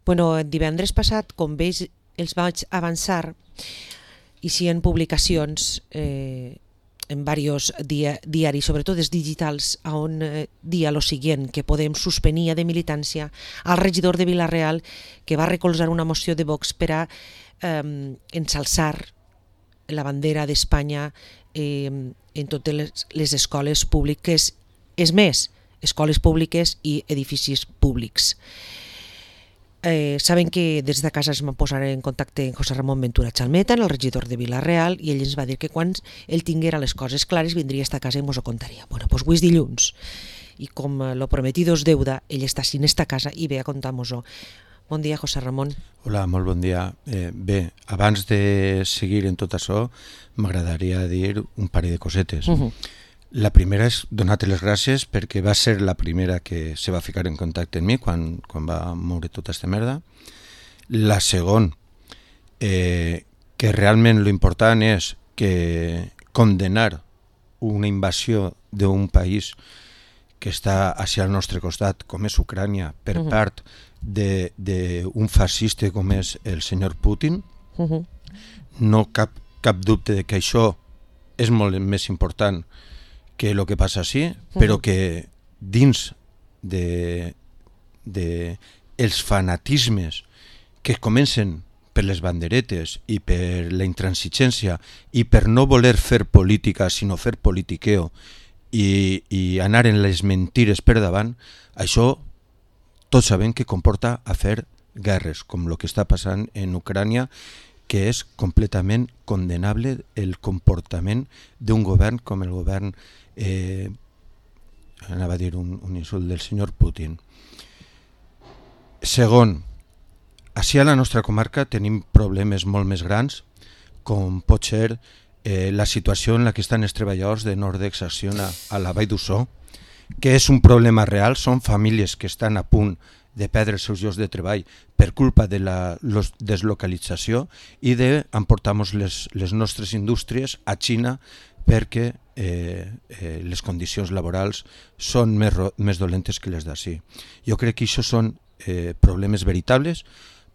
Divendres passat, com veig, els vaig avançar i si en publicacions en diversos diaris, sobretot els digitals, on dia lo siguiente, que podem suspenia de militància al regidor de Vila-real que va recolzar una moció de Vox per a ensalçar la bandera d'Espanya en totes les escoles públiques, és més, escoles públiques i edificis públics. Saben que des de casa es va posar en contacte amb José Ramón Ventura Chalmeta, el regidor de Vila-real, i ell ens va dir que quan ell tinguera les coses clares vindria a esta casa i mos ho contaria. Avui és dilluns, i com lo prometido és deuda, ell està així en esta casa i ve a contar-nos-ho. Bon dia, José Ramón. Hola, molt bon dia. Bé, abans de seguir en tot això, m'agradaria dir un parell de cosetes. La primera és donar-te les gràcies perquè va ser la primera que se va ficar en contacte amb mi quan va moure tota aquesta merda. La segona, que realment l'important és que condenar una invasió d'un país que està hacia el nostre costat, com és Ucrània, per part d'un fascista com és el senyor Putin. No cap dubte de que això és molt més important que el que passa així, però que dins els fanatismes que comencen per les banderetes i per la intransigència i per no voler fer política sinó fer politiqueo i anar en les mentires per davant, això tots sabem que comporta a fer guerres, com el que està passant en Ucrània, que és completament condenable el comportament d'un govern com el govern, anava a dir un insult, del senyor Putin. Segon, així a la nostra comarca tenim problemes molt més grans, com pot ser la situació en la que estan els treballadors de Nordex Acciona a la Vall d'Uixó, que és un problema real, són famílies que estan a punt de perdre els seus llocs de treball per culpa de la deslocalització i d'emportar les nostres indústries a Xina perquè les condicions laborals són més dolentes que les d'ací. Jo crec que això són problemes veritables,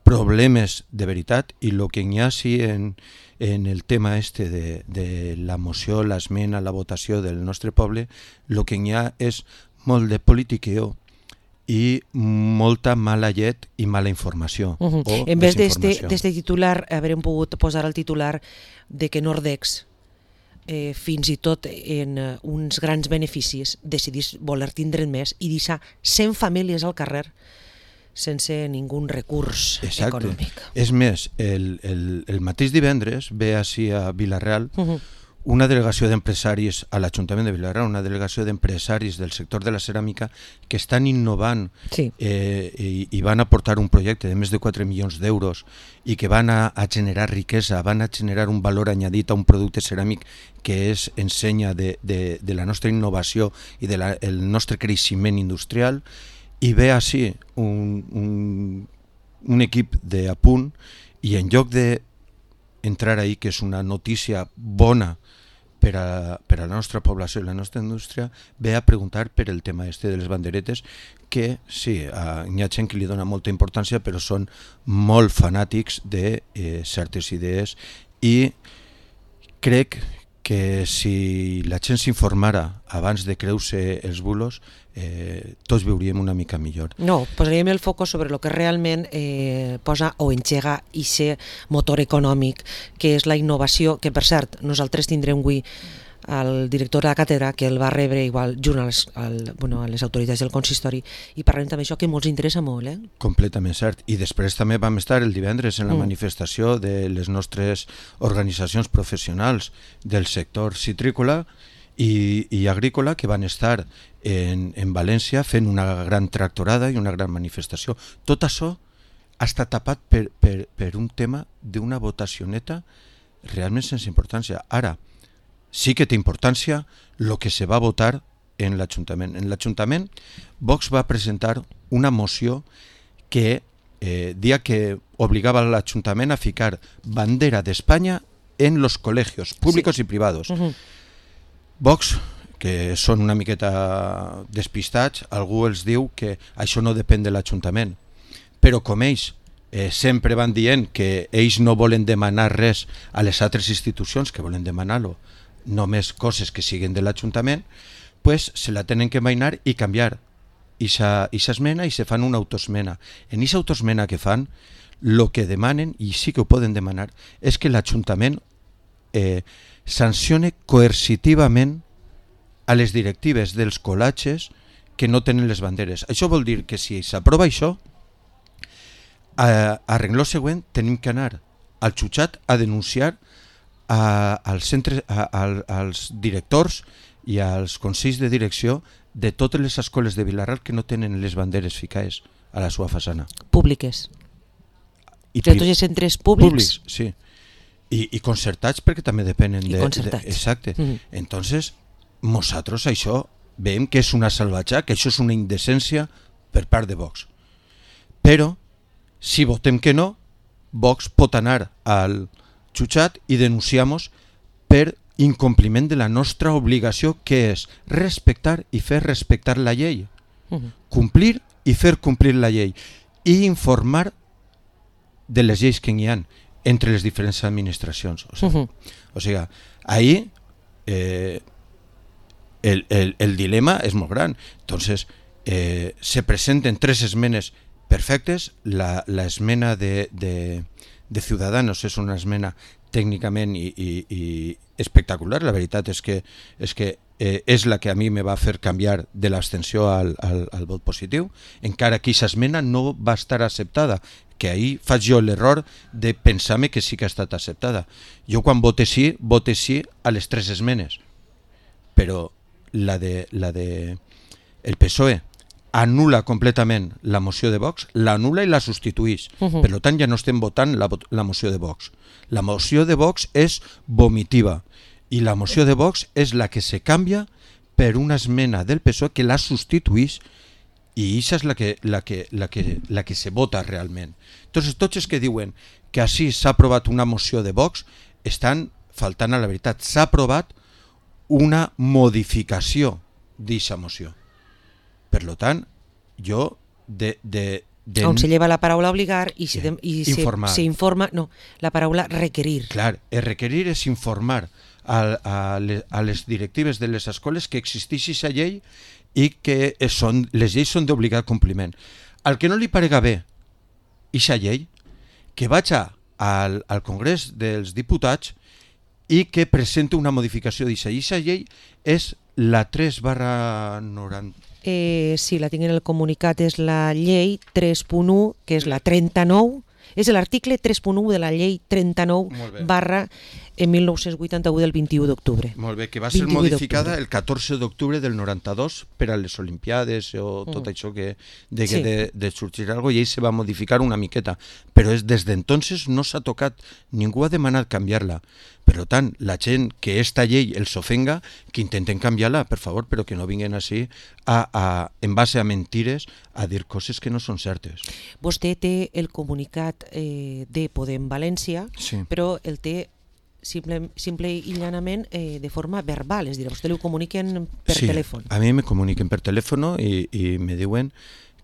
problemes de veritat, i el que hi ha sí en el tema de la moció, l'esmena, la votació del nostre poble, el que hi ha és molt de politiqueo i molta mala llet i mala informació. En vez d'este titular, haurem pogut posar el titular de que Nordex, fins i tot en uns grans beneficis, decidís voler tindre més i deixar 100 famílies al carrer sense ningú recurs econòmic. És més, el mateix divendres ve així a Vila-real una delegació d'empresaris a l'Ajuntament de Vila-real, una delegació d'empresaris del sector de la ceràmica que estan innovant i van aportar un projecte de més de 4 milions d'euros i que van a generar riquesa, van a generar un valor añadit a un producte ceràmic que és ensenya de la nostra innovació i del nostre creixement industrial, i ve així un equip d'apunt i en lloc d'entrar ahí, que és una notícia bona per a la nostra població i la nostra indústria, ve a preguntar per el tema de les banderetes, que sí, hi ha gent que li dona molta importància, però són molt fanàtics de certes idees, i crec que si la gent s'informara abans de creure els bulos, tots veuríem una mica millor. No, posaríem el foc sobre el que realment posa o engega aquest motor econòmic, que és la innovació, que per cert, nosaltres tindrem avui el director de la càtedra, que el va rebre igual junt a les autoritats del consistori, i parlem també d'això que ens interessa molt. Completament cert. I després també vam estar el divendres en la manifestació de les nostres organitzacions professionals del sector citrícola i agrícola, que van estar en València fent una gran tractorada i una gran manifestació. Tot això ha estat tapat per un tema d'una votacioneta realment sense importància. Ara, sí que té importància el que se va votar en l'Ajuntament. En l'Ajuntament, Vox va presentar una moció que dia que obligava a l'Ajuntament a ficar bandera d'Espanya en los colegios públicos y privados. Vox, que són una miqueta despistats, algú els diu que això no depèn de l'Ajuntament, però com ells sempre van dient que ells no volen demanar res a les altres institucions, que volen demanar-lo només coses que siguin de l'Ajuntament, pues se la tenen que mainar i canviar ixa esmena i se fan una autoesmena. En ixa autoesmena que fan, lo que demanen, i sí que ho poden demanar, és que l'Ajuntament sancione coercitivament a les directives dels col·latges que no tenen les banderes. Això vol dir que si s'aprova això, a rengló següent tenim que anar al jutjat a denunciar als directors i als consells de direcció de totes les escoles de Vila-real que no tenen les banderes ficades a la seva façana. Públiques. De tots els centres públics? Sí. I concertats perquè també depenen de... concertats. Exacte. Entonces, nosaltres això veiem que és una salvatge, que això és una indecència per part de Vox. Però, si votem que no, Vox pot anar al jutjat i denunciar-nos per incompliment de la nostra obligació, que és respectar i fer respectar la llei. Complir i fer complir la llei. I informar de les lleis que hi ha entre les diferents administracions. O sigui, ahí el dilema és molt gran. Entonces, se presenten 3 esmenes perfectes. La esmena de Ciudadanos és una esmena tècnicament i espectacular. La veritat és que és la que a mi me va fer canviar de l'abstenció al vot positiu, encara que aquesta esmena no va estar acceptada, que ahir faig jo l'error de pensar-me que sí que ha estat acceptada. Jo quan vote sí a les 3 esmenes, però la de el PSOE anul·la completament la moció de Vox, l'anul·la i la substituïx. Per tant, ja no estem votant la moció de Vox. La moció de Vox és vomitiva i la moció de Vox és la que se canvia per una esmena del PSOE que la substituïx, i això és la que se vota realment. Entonces, tots els que diuen que així s'ha aprovat una moció de Vox estan faltant a la veritat. S'ha aprovat una modificació d'aquesta moció. Per tant, jo on se lleva la paraula obligar i se informa, no, la paraula requerir. Clar, requerir és informar a les directives de les escoles que existeix aquesta llei i que les lleis són d'obligat compliment. Al que no li parega bé aquesta llei, que vaig al Congrés dels Diputats i que presenta una modificació d'aquesta. I aquesta llei és la 3/90. Sí, la tinc en el comunicat, és la llei 3.1, que és la 39, és l'article 3.1 de la llei 39/1981 del 21 d'octubre. Molt bé, que va ser modificada el 14 d'octubre del 92 per a les Olimpiades o tot això que de sorgir alguna cosa, i ell se va modificar una miqueta, però des d'entonces no s'ha tocat, ningú ha demanat canviar-la. Per tant, la gent que esta llei els ofenga, que intenten canviar-la, per favor, però que no vinguin així en base a mentires a dir coses que no són certes. Vostè té el comunicat de Podem València, però el té simple i llanament de forma verbal, és a dir, a vostè li ho comuniquen per telèfon. Sí, a mi me comuniquen per telèfon i me diuen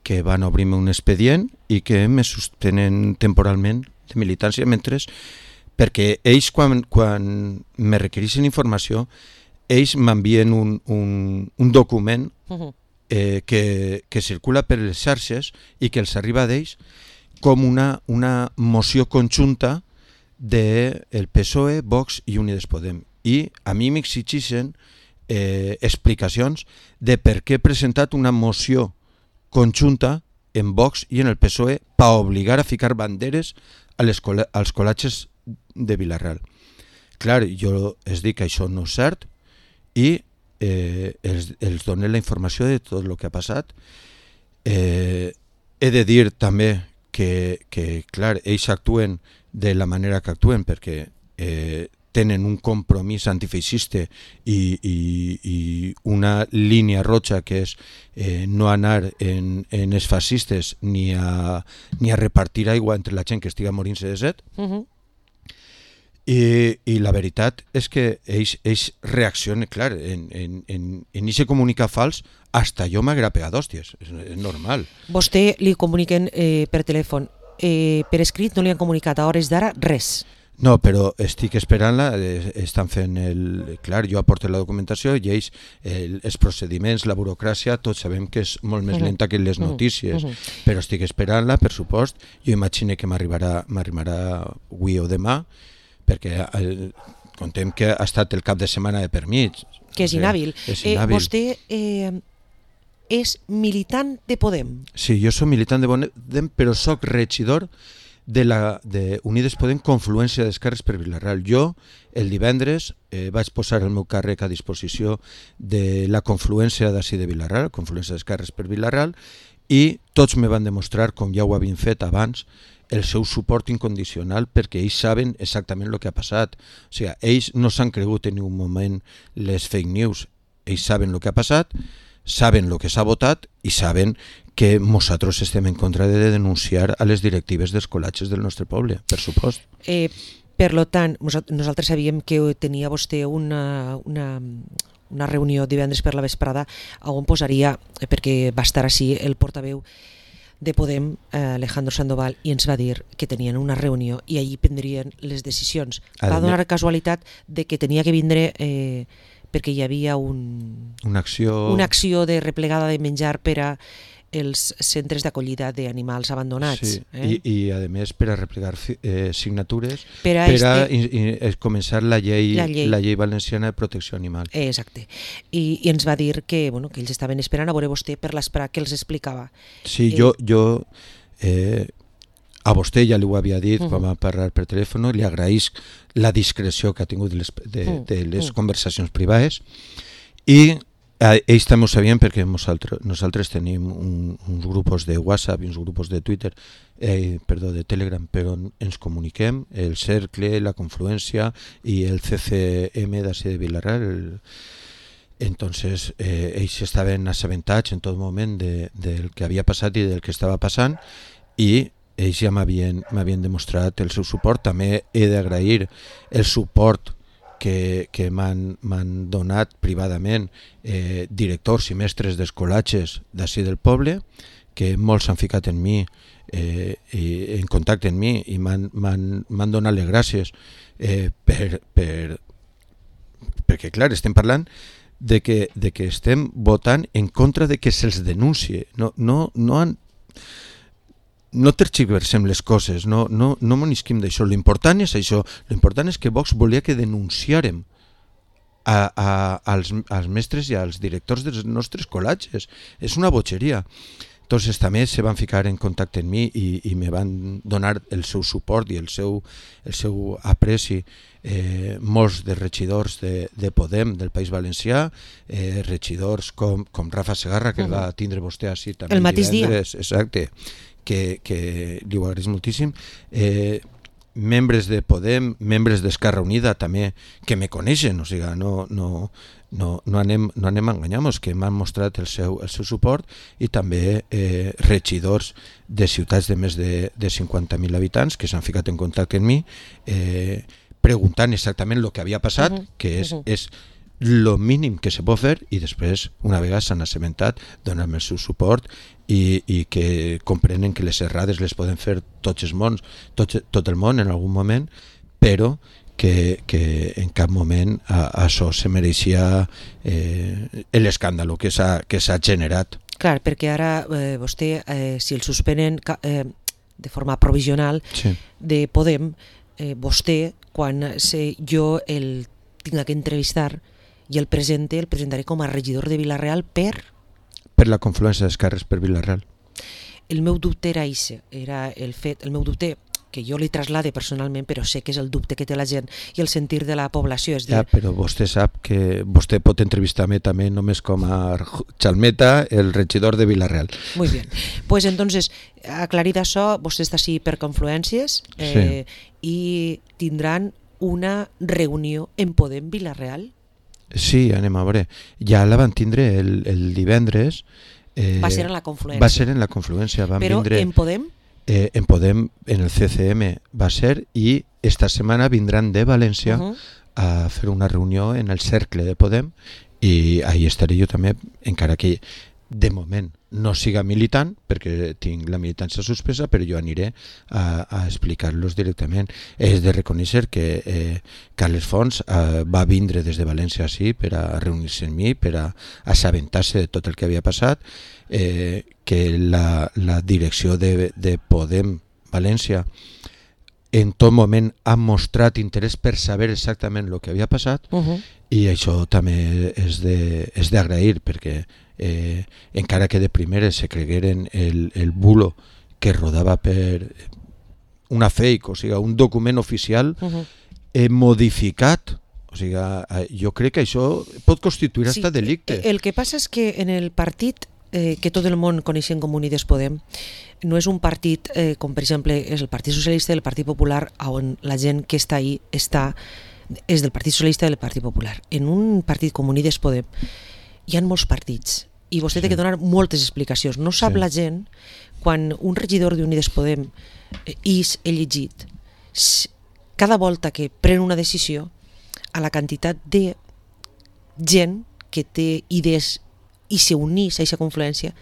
que van obrir-me un expedient i que me suspenen temporalment de militància, perquè ells quan me requereixen informació, ells m'envien un document que circula per les xarxes i que els arriba d'ells com una moció conjunta del PSOE, Vox i Unides Podem. I a mi m'exigeixen explicacions de per què he presentat una moció conjunta en Vox i en el PSOE per obligar a ficar banderes als col·latges de Vila-real. Clar, jo els dic que això no és cert i els dono la informació de tot el que ha passat. He de dir també que clar, ells actuen de la manera que actuen perquè tenen un compromís antifeixista i una línia roja que és no anar en els fascistes ni a repartir aigua entre la gent que estiga morint-se de set. I la veritat és que ells reaccionen, clar, en ese comunicat fals, hasta jo m'agrapea d'hòsties, és normal. Vostè li comuniquen per telèfon, per escrit no li han comunicat a hores d'ara res. No, però estic esperant-la, estan fent Clar, jo aporto la documentació i ells, els procediments, la burocràcia, tots sabem que és molt més lenta que les notícies, però estic esperant-la, per supost. Jo imagino que m'arribarà avui o demà, perquè contem que ha estat el cap de setmana de per mig. Que és inhàbil. Vostè és militant de Podem. Sí, jo soc militant de Podem, però soc regidor de Unides Podem Confluència d'Esquerres per Vila-real. Jo, el divendres, vaig posar el meu càrrec a disposició de la confluència d'ací de Vila-real, Confluència d'Esquerres per Vila-real, i tots me van demostrar, com ja ho havien fet abans, el seu suport incondicional, perquè ells saben exactament el que ha passat. O sigui, ells no s'han cregut en un moment les fake news. Ells saben el que ha passat, saben el que s'ha votat i saben que nosaltres estem en contra de denunciar a les directives dels col·latges del nostre poble, per supost. Per tant, nosaltres sabíem que tenia vostè una reunió divendres per la vesprada on posaria, perquè va estar així el portaveu de Podem, Alejandro Sandoval, i ens va dir que tenien una reunió i allí prendrien les decisions. Va donar casualitat de que tenia que vindre perquè hi havia una acció de replegada de menjar per a els centres d'acollida d'animals abandonats. Sí, i a més per a replegar signatures per a començar la llei valenciana de protecció animal. Exacte. I ens va dir que ells estaven esperant a veure vostè per l'esperar que els explicava. Sí, jo a vostè ja li ho havia dit quan vam parlar per telèfon, li agraïsc la discreció que ha tingut de les conversacions privades, i ells també ho sabien perquè nosaltres tenim uns grups de WhatsApp i uns grups de Twitter, de Telegram, però ens comuniquem, el Cercle, la Confluència i el CCM d'ací de Vila-real. Entonces ells estaven assabentats en tot moment del que havia passat i del que estava passant, i ells ja m'havien demostrat el seu suport. També he d'agrair el suport que m'han donat privadament directors i mestres d'escolatges d'ací del poble, que molts s'han ficat en mi, en contacte amb mi, i m'han donat les gràcies perquè, clar, estem parlant de que estem votant en contra de que se'ls denuncie. No tergiversem les coses, no monisquim d'això. L'important és això, l'important és que Vox volia que denunciàrem als mestres i als directors dels nostres col·latges. És una botxeria. Entonces també se van ficar en contacte amb mi i me van donar el seu suport i el seu apreci molts de regidors de Podem del País Valencià, regidors com Rafa Segarra, que va tindre vostè així també el mateix dia. Exacte, que li ho agraeix moltíssim, membres de Podem, membres d'Esquerra Unida també, que me coneixen, o sigui, no anem a enganyar-nos, que m'han mostrat el seu suport, i també regidors de ciutats de més de 50.000 habitants que s'han ficat en contacte amb mi preguntant exactament el que havia passat, que és lo mínim que se pot fer, i després, una vegada s'han assabentat, donar-me el seu suport i que comprenen que les errades les poden fer tot el món en algun moment, però que en cap moment això se mereixia l'escàndalo que s'ha generat. Clar, perquè ara vostè, si el suspenen de forma provisional de Podem, vostè, quan jo el tinc que entrevistar i el presentaré com a regidor de Vila-real per la confluència d'esquerres per Vila-real. El meu dubte era això, el meu dubte que jo li traslade personalment, però sé que és el dubte que té la gent i el sentir de la població. És dir... però vostè sap que vostè pot entrevistar-me també només com a Chalmeta, el regidor de Vila-real. Muy bien. Pues entonces, aclarit això, vostè està així per confluències i tindran una reunió en Podem Vila-real? Sí, anem a veure. Ja la van tindre el divendres. Va ser en la confluència. Va ser en la confluència. Però en Podem? en Podem, en el CCM va ser, i esta setmana vindran de València a fer una reunió en el cercle de Podem, i ahí estaré jo també, encara que de moment no siga militant, perquè tinc la militància suspesa, però jo aniré a explicar-los directament. És de reconèixer que Carles Fons va vindre des de València així per a reunir-se amb mi, per a assabentar-se de tot el que havia passat, que la direcció de Podem València en tot moment ha mostrat interès per saber exactament el que havia passat, i això també és d'agrair, perquè encara que de primeres se cregueren el bulo que rodava per una fake, o sigui, un document oficial modificat, o sigui, jo crec que això pot constituir hasta delicte. El que passa és que en el partit que tot el món coneixem com Unides Podem, no és un partit com per exemple és el Partit Socialista i el Partit Popular, on la gent que està ahí és del Partit Socialista i del Partit Popular. En un partit com Unides Podem hi ha molts partits i vostè té que donar moltes explicacions. No sap la gent, quan un regidor d'Unides Podem és elegit, cada volta que pren una decisió, a la quantitat de gent que té idees i s'unís a aquesta confluència,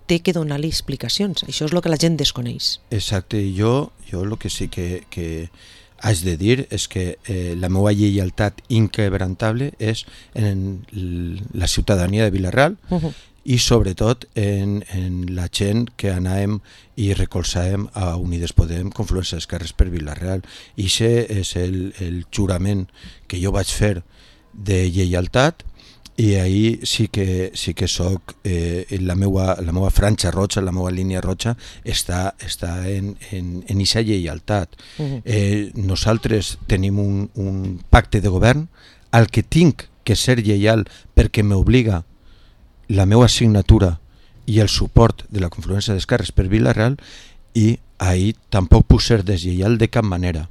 té que donar-li explicacions. Això és el que la gent desconeix. Exacte, i jo el que sí que haig de dir és que la meva lleialtat inquebrantable és en la ciutadania de Vila-real i sobretot en la gent que anàvem i recolzàvem a Unides Podem, Confluència d'Esquerres per Vila-real. I aquest és el jurament que jo vaig fer de lleialtat, i ahir sí que soc la meva franja roja, la meva línia roja està en aquesta lleialtat. Nosaltres tenim un pacte de govern al que tinc que ser lleial perquè m'obliga la meva signatura i el suport de la Confluència d'Esquerres per Vila-real, i ahir tampoc puc ser deslleial de cap manera.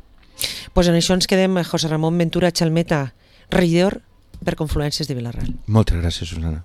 Pues en això ens quedem. José Ramón Ventura Chalmeta, regidor per Confluències de Vila-real. Moltes gràcies, Susana.